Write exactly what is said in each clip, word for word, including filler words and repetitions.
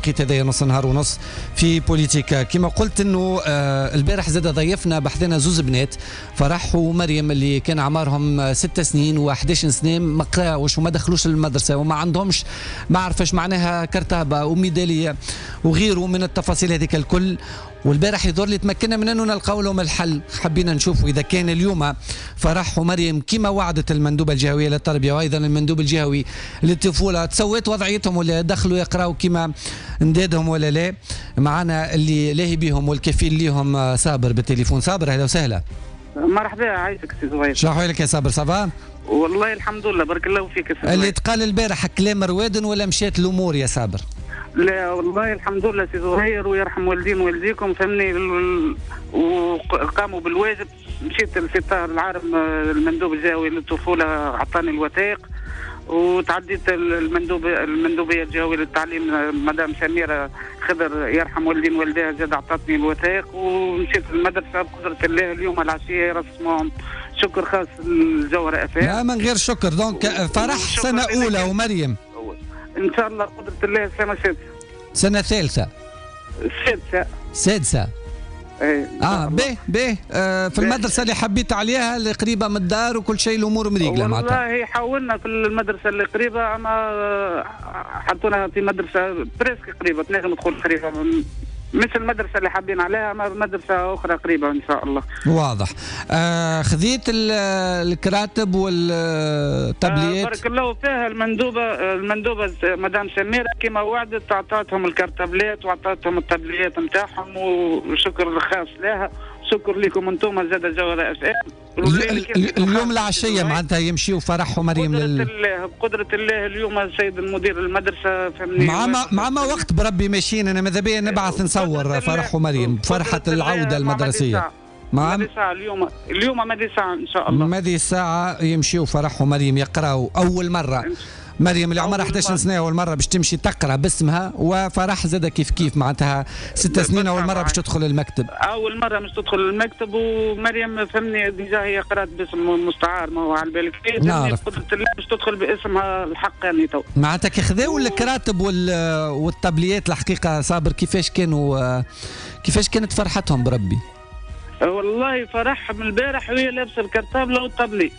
التوقيت هذايا نص نهار ونص في بوليتيكا. كما قلت انه آه البارح زاد ضيفنا بحثنا زوز بنات، فرح ومريم، اللي كان اعمارهم ست سنين وحداش سنة، ما قراوش وما دخلوش المدرسة وما عندهمش ما عرفش معناها cartable وميداليه وغيره من التفاصيل هذيك الكل. والبارح يظهر لي تمكنا من انه نلقاو لهم الحل. حبينا نشوفوا اذا كان اليوم فرح ومريم كما وعدت المندوبه الجهوية للتربية وايضا المندوب الجهوي للطفوله تسويت وضعيتهم ولا دخلوا يقراوا كما ندادهم ولا لا. معنا اللي لاهي بهم والكفيل ليهم صابر بالتليفون. صابر اهلا وسهلا. مرحبا، عايشك سي زهير. شنو احوالك يا صابر، ça va؟ والله الحمد لله، بارك الله فيك يا سي. اللي تقال البارح كلام روادن ولا مشات الامور يا صابر؟ لا والله الحمد لله سي زهير، ويرحم والدين والديكم، فهمني، وقاموا بالواجب. مشيت لسي طاهر العارم المندوب الجهوي للطفوله، عطاني الوثائق، وتعديت المندوب المندوبيه الجهوية للتعليم مدام سميرة خضر يرحم والدين والديها زاد عطاتني الوثائق، ومشيت للمدرسة. بقدره الله اليوم العشية يرسموهم. شكر خاص للجوهره اف ام. لا من غير شكر. donc فرح سنة اولى ومريم ان شاء الله بقدره الله سنة سادسة. سنة ثالثة. سادسة. سادسة. ايه. اه به به آه في المدرسة اللي حبيت عليها اللي قريبه من الدار وكل شيء الامور مريقله معناتها. والله حاولنا في المدرسة اللي قريبه، اما حطونا في مدرسه presque قريبه، تنجم تقول قريبه، مش المدرسة اللي حابين عليها، اما مدرسه اخرى قريبه ان شاء الله. واضح. آه خذيت الكراتب والتابليات؟ آه بارك الله فيها المندوبه المندوبه مدام سميرة كما وعدت اعطتهم الكرتابلات واعطتهم التابليات نتاعهم، وشكر خاص لها. شكر لكم انتم زاد جوهرة اف ام. اليوم العشية معناتها يمشيوا فرح ومريم لل... بقدرة الله بقدرة الله اليوم السيد المدير المدرسة فهمني مع ما مع ما وقت بربي ماشيين. انا ماذا بيا نبعث نصور فرح ومريم فرحة العودة المدرسية. مع ماذي ساعة اليوم، اليوم ماذي ساعة إن شاء الله. ماذي ساعة يمشيوا فرح ومريم يقراوا أول مرة. مريم اللي عمرها احداش سنة أول مرة باش تمشي تقرأ باسمها، وفرح زادة كيف كيف معناتها ست سنين أول مرة باش تدخل المكتب. أول مرة باش تدخل المكتب، ومريم فهمني déjà هي قرأت باسم مستعار، ما هو على بالك. نعرف. قدرة الله باش تدخل باسمها الحقاني تو. معناتها كي خذاو الكراتب والطابليات الحقيقة صابر كيفاش كانوا، كيفاش كانت فرحتهم بربي؟ والله فرح من البارح وهي لابسه ال cartable وال tablier.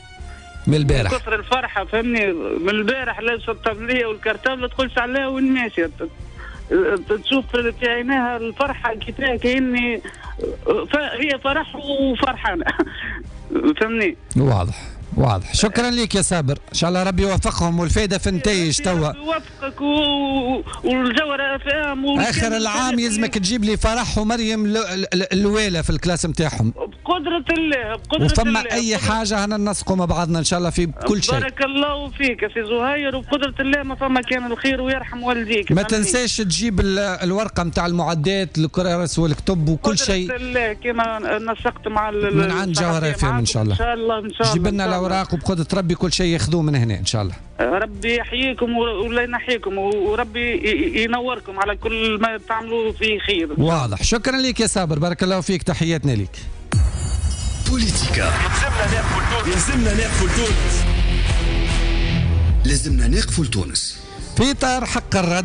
من البارح. من كثر الفرحة فهمني، من البارح لابسه الطابليه وال cartable تقولش عليها وين ماشية، تشوف في عينيها الفرحة كيفاه، كاني هي فرح وفرحانه فهمني. واضح واضح. شكرا لك يا صابر، ان شاء الله ربي يوفقهم والفائدة في النتائج توا. يوفقك و... والجوهرة اف ام. اخر العام يلزمك تجيب لي فرح ومريم الوالة في ال classe نتاعهم. بقدرة الله بقدرة وفما الله. اي حاجة هنا ننسقوا مع بعضنا ان شاء الله في كل شيء. بارك الله فيك يا سي زهير، وبقدرة الله ما فما كان الخير ويرحم والديك. ما تنساش تجيب الورقة نتاع المعدات الكرارس والكتب وكل شيء. بقدرة الله كما نسقت مع من عند جوهرة اف ام ان شاء الله. ان شاء الله ان شاء الله. جيب لنا الاوراق وبقدرة ربي كل شيء ياخذوه من هنا ان شاء الله. ربي يحييكم ولا ينحيكم، وربي ينوركم على كل ما تعملوا فيه خير. واضح. شكرا لك يا صابر، بارك الله فيك، تحياتنا لك. بوليتيكا لازمنا نقفوا لتونس، لازمنا نقفوا لتونس في إطار حق الرد.